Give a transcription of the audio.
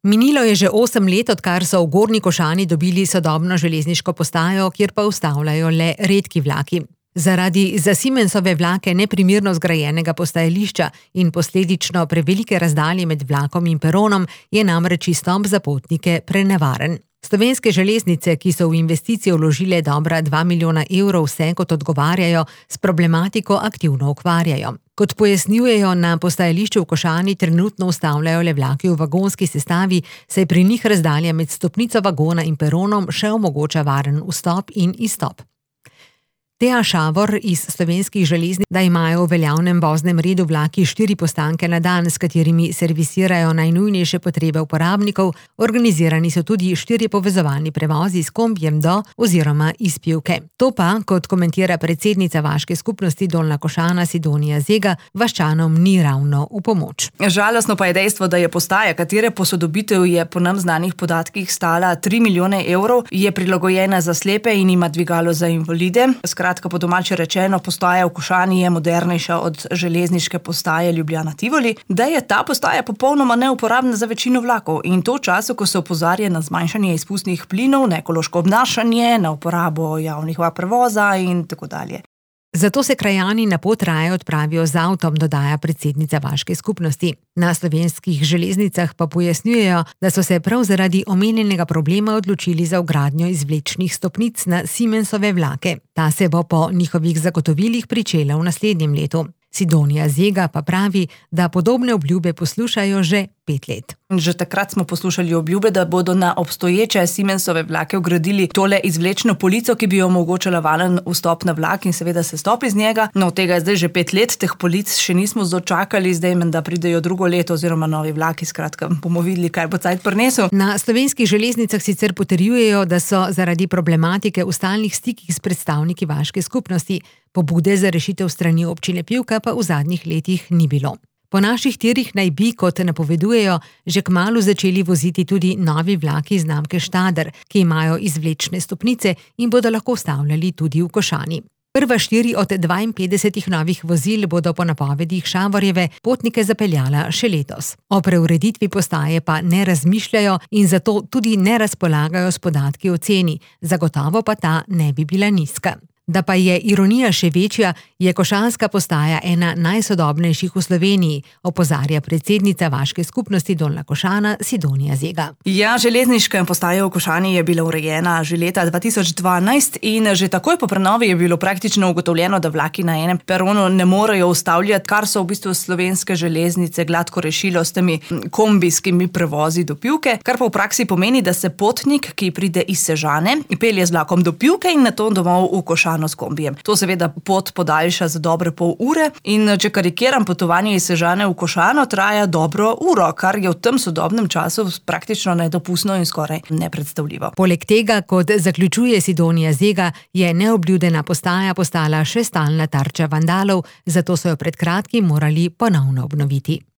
Minilo je že 8 let, odkar so v Gornji Košani dobili sodobno železniško postajo, kjer pa ustavljajo le redki vlaki. Zaradi za Siemensove vlake neprimerno zgrajenega postajališča in posledično prevelike razdalje med vlakom in peronom je namreč izstop za potnike prenevaren. Slovenske železnice, ki so v investicije vložile dobra 2 milijona evrov, se, kot odgovarjajo, s problematiko aktivno ukvarjajo. Kot pojasnjujejo, na postajališču v Košani trenutno ustavljajo le vlaki v vagonski sestavi, saj pri njih razdalja med stopnico vagona in peronom še omogoča varen vstop in izstop. Teja Šavor iz Slovenskih železnic, da imajo v veljavnem voznem redu vlaki 4 postanke na dan, s katerimi servisirajo najnujnejše potrebe uporabnikov, organizirani so tudi 4 povezovalni prevozi s kombijem do oziroma iz Pivke. To pa, kot komentira predsednica vaške skupnosti Dolnja Košana Sidonija Zega, vaščanom ni ravno v pomoč. Žalostno pa je dejstvo, da je postaja, katere posodobitev je po nam znanih podatkih stala 3 milijone evrov, je prilagojena za slepe in ima dvigalo za invalide. Skratka, po domače rečeno, postaja v Košani je modernejša od železniške postaje Ljubljana Tivoli, da je ta postaja popolnoma neuporabna za večino vlakov in to v času, ko se opozarja na zmanjšanje izpustnih plinov, na ekološko obnašanje, na uporabo javnih prevoza in tako dalje. Zato se krajani na pot raje odpravijo z avtom, dodaja predsednica vaške skupnosti. Na Slovenskih železnicah pa pojasnjujejo, da so se prav zaradi omenjenega problema odločili za vgradnjo izvlečnih stopnic na Siemensove vlake. Ta se bo po njihovih zagotovilih pričela v naslednjem letu. Sidonija Zega pa pravi, da podobne obljube poslušajo že 5 let. Že takrat smo poslušali obljube, da bodo na obstoječe Siemensove vlake vgradili tole izvlečno polico, ki bi omogočala varen vstop na vlak in seveda sestop iz njega. No, tega je zdaj že 5 let, teh polic še nismo dočakali, zdaj menda pridejo drugo leto oziroma novi vlaki, skratka bomo videli, kaj bo cajt prinesel. Na Slovenskih železnicah sicer potrjujejo, da so zaradi problematike v stalnih stikih s predstavniki vaške skupnosti. Pobude za rešitev strani občine Pivka pa v zadnjih letih ni bilo. Po naših tirih naj bi, kot napovedujejo, že kmalu začeli voziti tudi novi vlaki znamke Štader, ki imajo izvlečne stopnice in bodo lahko ustavljali tudi v Košani. Prva 4 od 52 novih vozil bodo po napovedih Šavorjeve potnike zapeljala še letos. O preureditvi postaje pa ne razmišljajo in zato tudi ne razpolagajo s podatki o ceni, zagotovo pa ta ne bi bila nizka. Da pa je ironija še večja, je košanska postaja ena najsodobnejših v Sloveniji, opozarja predsednica vaške skupnosti Dolnja Košana Sidonija Zega. Ja, železniška postaja v Košani je bila urejena že leta 2012 in že takoj po prenovi je bilo praktično ugotovljeno, da vlaki na enem peronu ne morejo ustavljati, kar so v bistvu Slovenske železnice gladko rešilo s temi kombijskimi prevozi do Pivke, kar pa v praksi pomeni, da se potnik, ki pride iz Sežane, pelje z vlakom do Pivke in nato domov v Košano s kombijem. To seveda pot podaljša za dobre pol ure in če karikiram, potovanje iz Sežane v Košano traja dobro uro, kar je v tem sodobnem času praktično nedopustno in skoraj nepredstavljivo. Poleg tega, kot zaključuje Sidonija Zega, je neobljudena postaja postala še stalna tarča vandalov, zato so jo pred kratkim morali ponovno obnoviti.